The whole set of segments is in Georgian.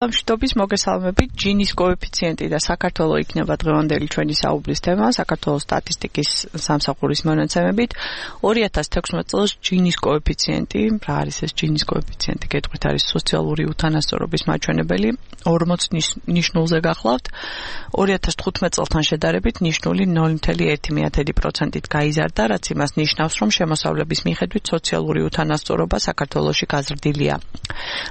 მშვიდობის მოგესალმებით. ჯინის კოეფიციენტი და საქართველოს იქნება დღევანდელი ჩვენი საუბრის თემა. საქართველოს სტატისტიკის სამსახურის მონაცემებით 2016 წელს ჯინის კოეფიციენტი, რა არის ეს ჯინის კოეფიციენტი? გეტყვით, არის სოციალური უთანასწორობის მაჩვენებელი, 40 ნიშნულზე გახლავთ. 2015 წელთან შედარებით ნიშნული 0.1%-ით გაიზარდა, რაც იმას ნიშნავს, რომ შემოსავლების მიხედვით სოციალური უთანასწორობა საქართველოში გაზრდილია.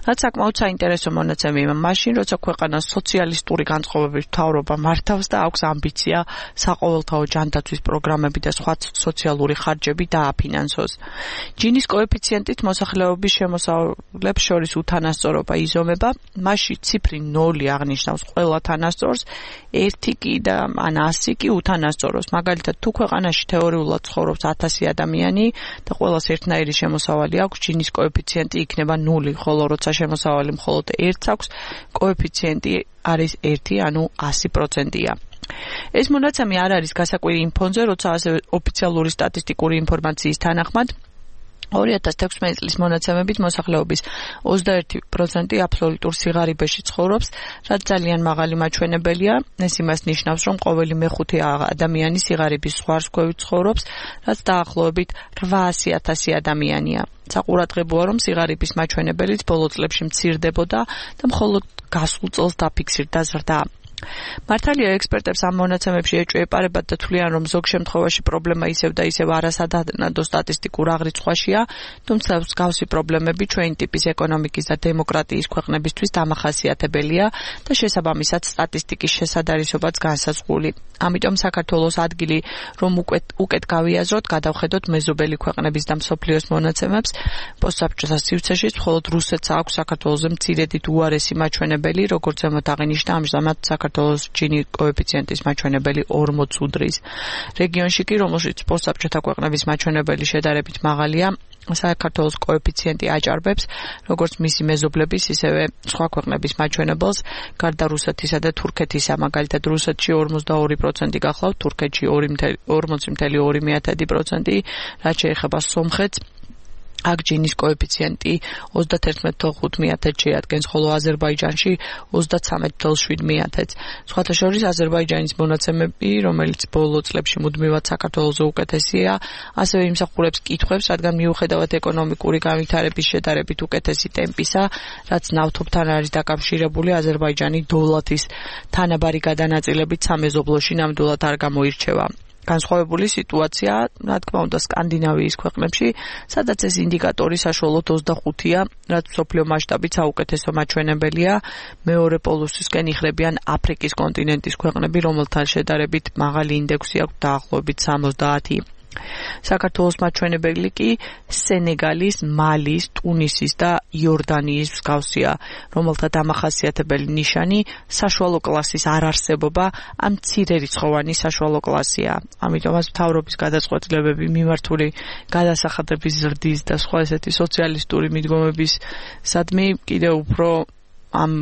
რაც საკმაოდ საინტერესო მონაცემია მაშინ, როცა ქვეყანას სოციალისტური განწყობების მთავრობა მართავს და აქვს ამბიცია საყოველთაო ჯანდაცვის პროგრამები და სხვა სოციალური ხარჯები დააფინანსოს. ჯინის კოეფიციენტით მოსახლეობის შემოსავლებს შორის უთანასწორობა იზომება, მასში ციფრი 0 აღნიშნავს ყველა თანასწორს, 1 კი და ან 100 კი უთანასწოროს. მაგალითად, თუ ქვეყანაში თეორიულად ცხოვრობს 1000 ადამიანი და ყველას ერთნაირი შემოსავალი აქვს, ჯინის კოეფიციენტი იქნება 0, ხოლო როცა შემოსავალი მხოლოდ 1 აქვს, კოეფიციენტი არის 1, ანუ 100%-ია. ეს მონაცემი არ არის გასაკვირი იმ ფონზე, როცა ასევე ოფიციალური სტატისტიკური ინფორმაციის თანახმად 2016 წლის მონაცემებით მოსახლეობის 21% აბსოლუტურ სიღარიბეში ცხოვრობს, რაც ძალიან მაღალი მაჩვენებელია. ეს იმას ნიშნავს, რომ ყოველი მეხუთე ადამიანი სიღარიბის ზღვარქვევით ცხოვრობს, რაც დაახლოებით 800,000 ადამიანია. საყურადღებოა, რომ სიღარიბის მაჩვენებელიც ბოლო წლებში მცირდებოდა და მხოლოდ გასულ წელს დაფიქსირდა ზრდა. მართალია ექსპერტებს ამ მონაცემებში ეჭვეპარებათ და თვლიან, რომ ზოგ შემთხვევაში პრობლემა ისევ და ისევ არასადანადო სტატისტიკურ აღრიცხვაშია, თუმცა მსგავსი პრობლემები ჩვენი ტიპის ეკონომიკის და დემოკრატიის ქვეყნებისთვის დამახასიათებელია და შესაბამისად სტატისტიკის შესადარისობაც განსაზღვრული. ამიტომ საქართველოს ადგილი, რომ უკეთ გავიაზროთ, გადავხედოთ მეზობელი ქვეყნების და მსოფლიოს მონაცემებს. პოსტსაბჭოთა სივრცეშიც მხოლოდ რუსეთს აქვს საქართველოზე მცირედით უარესი მაჩვენებელი, როგორც ზემოთ აღინიშნა, ამჟამად საქართველოს ჯინის კოეფიციენტის მაჩვენებელი 40 უდრის. რეგიონში კი, რომელშიც პოსტსაბჭოთა ქვეყნების მაჩვენებელი შედარებით მაღალია, საქართველოს კოეფიციენტი აჭარბებს, როგორც მისი მეზობლების, ისევე სხვა ქვეყნების მაჩვენებელს, გარდა რუსეთისა და თურქეთისა. მაგალითად, რუსეთში 42% გახლავთ, თურქეთში 40.2%, რაც შეეხება სომხეთს. აქ ჯინის კოეფიციენტი 31.5% შეადგენს, ხოლო აზერბაიჯანში 33.7%. სხვათა შორის აზერბაიჯანის მონაცემები, რომელიც ბოლო წლებში მუდმივად საქართველოზე უკეთესია, ასევე იმსახურებს კითხვებს, რადგან მიუხედავად ეკონომიკური განვითარების შედარებით უკეთესი ტემპისა, რაც ნავთობთან არის დაკავშირებული, აზერბაიჯანი დოლათის თანაბარი გადანაწილებით სამეზობლოში ნამდვილად არ გამოირჩევა. განსხვავებული სიტუაცია, რა თქმა უნდა, სკანდინავიის ქვეყნებში, სადაც ეს ინდიკატორი საშუალოდ 25-ია, რაც მსოფლიო მასშტაბით საუკეთესო მაჩვენებელია. მეორე პოლუსისკენ იხრებიან აფრიკის კონტინენტის ქვეყნები, რომელთან შედარებით მაღალი ინდექსი აქვს, დაახლოებით 70. საქართველოს მაჩვენებელი კი სენეგალის, მალის, ტუნისის და იორდანიის მსგავსია, რომელთა დამახასიათებელი ნიშანი საშუალო კლასის არარსებობა, ამ მცირერიცხოვანი საშუალო კლასია. ამიტომაც მთავრობის გადაწყვეტილებები მიმართული გადასახადების ზრდის და სხვა ესეთი სოციალისტური მიდგომებისადმი კიდევ უფრო ამ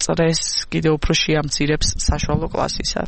წრეს კიდევ უფრო შეამცირებს საშუალო კლასისა.